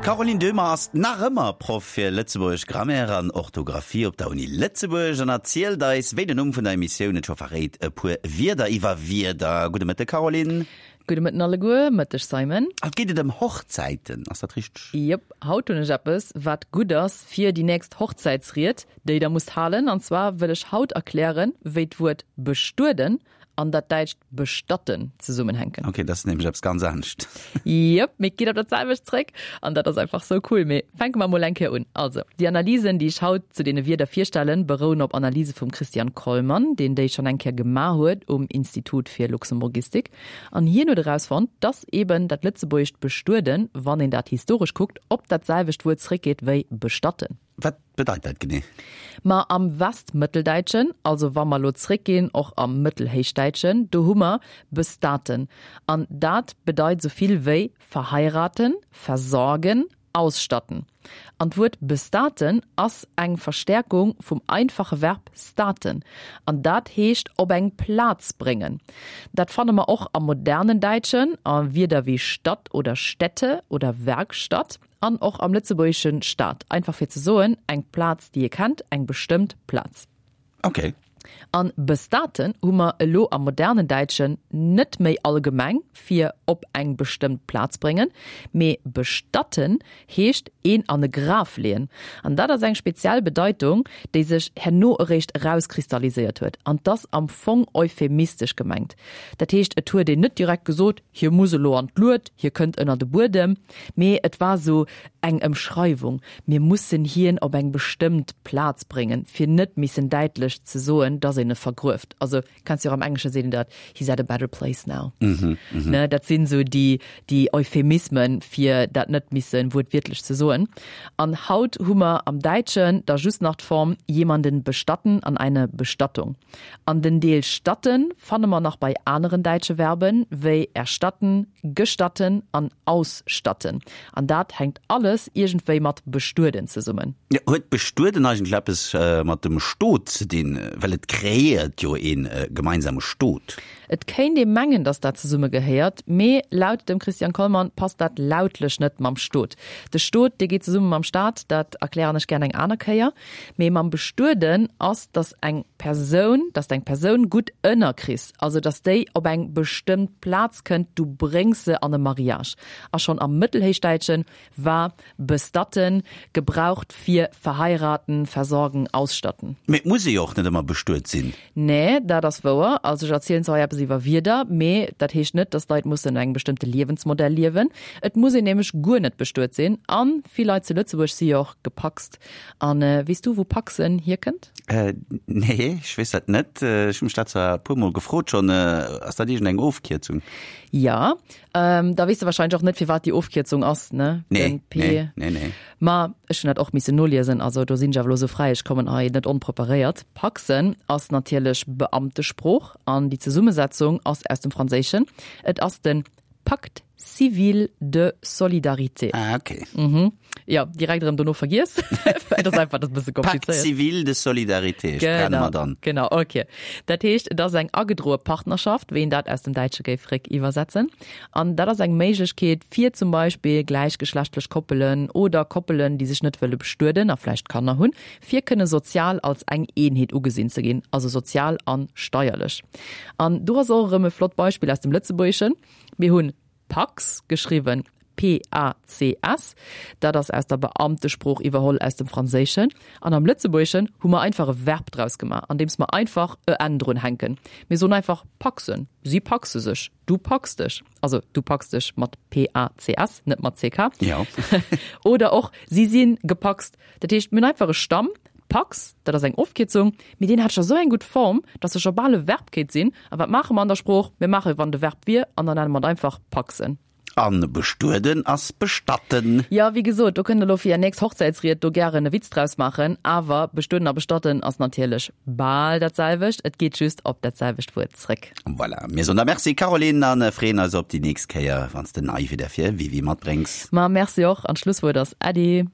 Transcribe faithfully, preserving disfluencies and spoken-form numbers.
D'Caroline Döhmer ass nach ëmmer Proff fir Lëtzebuergesch Grammaire an Orthografie op der Uni Lëtzebuerg an erzielt eis, wéi den Numm vun der Emissioun et scho verréit, e puer Wierder iwwer Wierder. Gudde Mëtte Caroline. Gudde Mëtten alleguer. Mëtteg Simon. Haut geet et ëm Hochzäiten, ass dat richteg? Jep, haut hunn ech eppes, wat gutt ass fir déi nächst Hochzäitsried, déi der musst halen. An zwar wëll ech haut erklären, wéi d'Wuert bestueden an dat däitscht bestatten zesummenhänken. Ok, dat ass nämlech eppes ganz anescht. Jep, mee et geet op dat selwecht zréck an dat ass einfach sou cool. Mee fänke mer mol eng Kéier un. Also, déi Analysen, déi ech haut zu deene Wierder virstellen, berouen op Analyse vum Christian Kollmann, deen déi schonn eng Kéier gemaach huet um Institut fir Luxemburgistik. An hien huet erausfonnt, dass eben dat lëtzebuergescht bestueden, wann een dat historesch kuckt, op dat selwecht Wuert zréckgeet wéi bestatten. Wat bedeit dat genee? Ma am Westmëtteldäitschen, also wa mer elo zréckginn och am Mëttelhéichdäitschen, do hu mer bestaten. An dat bedeit sou vill wéi verheiraten, versorgen, ausstatten. An d'Wuert bestaten ass eng Verstäerkung vum einfache Verb staten. An dat heescht op eng Plaz bréngen. Dat fanne mer och am modernen Däitschen a Wierder wéi Stadt oder Städte oder Werkstatt. An och am lëtzebuergeschen Stad, einfach fir ze soen, eng Plaz, déi ee kennt, eng bestëmmt Plaz. Ok. An bestaten hu mer elo am modernen Däitschen net méi allgemeng fir op eng bestëmmt Plaz bréngen, mee bestatten heescht een an e Graf leeën. An dat ass eng speziell Bedeitung, déi sech herno eréischt erauskristalliséiert huet. An 't ass am Fong euphemistesch gemengt. Dat heescht, et huet een net direkt gesot, Hie muss elo an d'Lued, hie kënnt ënner de Buedem, mee et war esou eng Ëmschreiwung, Mir mussen hien op eng bestëmmt Plaz bréngen, fir net missen däitlech ze soen, dass een e vergrueft. Also, kenns jo och am Englesche seet een dat, He's at a better place now. Ne, dat sinn esou déi, déi Euphemismen, fir dat net misse wuertwiertlech ze soen. An haut hu mer am Däitschen da just nach d'Form jemanden bestatten an eine Bestattung. An den Deel statten fanne mer nach bei aneren däitsche Verben, wéi erstatten, gestatten an ausstatten. An dat hänkt alles iergendwéi mat bestueden zesummen. Jo, huet bestueden eigentlech eppes mat dem Stot ze dinn? Well et kreéiert jo ee gemeinsame Stot. Et kéint ee mengen, datt dat zesumme gehéiert, mee laut dem Christian Kollmann passt dat lautlech net mam Stot. De Stot, dee geet zesumme mam Staat, dat erklären ech gären eng aner Kéier. Mee mam bestueden ass, datt eng Persoun, datt eng Persoun gutt ënnerkriss, also datt déi op eng bestëmmt Plaz kënnt, du bréngs se an e Mariage. A schonn am Mëttelhéichdäitschen war bestatten gebraucht fir verheiraten, versorgen, ausstatten. Mee et muss ee jo och net ëmmer bestuet sinn. Nee, dat ass wouer. Also ech erzielen zwar hei eppes iwwer Wierder, mee dat heescht net, datt d'Leit mussen engem bestëmmte Liewensmodell liewen. Et muss een nämlech guer net bestuet sinn. A vill Leit zu Lëtzebuerg si jo och gepacst. A weess du, wou Paxen hierkënnt? Nee, ech weess dat net. Ech hu mech dat zwar e puermol gefrot schonn. Ass dat iergendeng Ofkierzung? Jo. Da weess de warscheinlech och net, firwat déi Ofkierzung ass, ne? Nee, Den P. nee, nee, nee. Ma ech hunn dat och missen noliesen, also do sinn ech awer elo sou fräi, ech kommen hei net onpreparéiert. Paxen ass natierlech Beamtesprooch an déi Zesummesetzung ass aus dem Franséischen. Et ass de Pacte civil de solidarité. Ah, okay. Mhm. Jo, direkt erëm dono vergiess. Et ass einfach dat e bësse Pacte komplizéiert. civil de solidarité, ech brenne Genau, mer dann. genau, okay. Dat heescht, et ass eng agedroe Partnerschaft, wéi een dat aus dem Däitsche géif réck iwwersetzen. An dat ass eng Méiglechkeet, fir zum Beispill gläichgeschlechtlech Koppelen oder Koppelen, déi sech net wëlle bestueden a vläicht Kanner hunn, fir kënne sozial als eng Eenheet ugesinn ze ginn, also sozial an steierlech. An do ass och erëm e flott Beispill aus dem Lëtzebuergeschen. Mir hunn Pacs geschriwwen, P A C S, dat ass aus der Beamtesprooch iwwerholl aus dem Franséischen. An am Lëtzebuergeschen hu mer einfach e Verb draus gemaach, andeems mer einfach e n drun hänken. Mir soen einfach paxen, si paxe sech, du packs dech, also du packs dech mat P A C S, net mat C K. Jo. Oder och si si gepaxt. Dat heescht, mir hunn einfach e Stamm, Pax, dat ass eng Ofkierzung, mee deen hat scho sou eng gutt Form, dass e scho bal e Verb kéint sinn. A wat maache mer an der Sprooch? Mir maache wann de Verb wier an dann nenne mer et einfach paxen. An bestueden ass bestatten. Jo, wéi gesot, do kënnt der elo fir är nächst Hochzäitsried do gären e Witz draus maachen, awer bestueden a bestatten ass natierlech bal dat selwecht, et geet just op dat selwecht Wuert zréck. Voilà, mir soen der Merci Caroline an freeën eis op déi nächst Kéier, wann s de nei Wieder fir Wiwi matbréngs. Ma merci och, an d'Schlusswuert ass Äddi.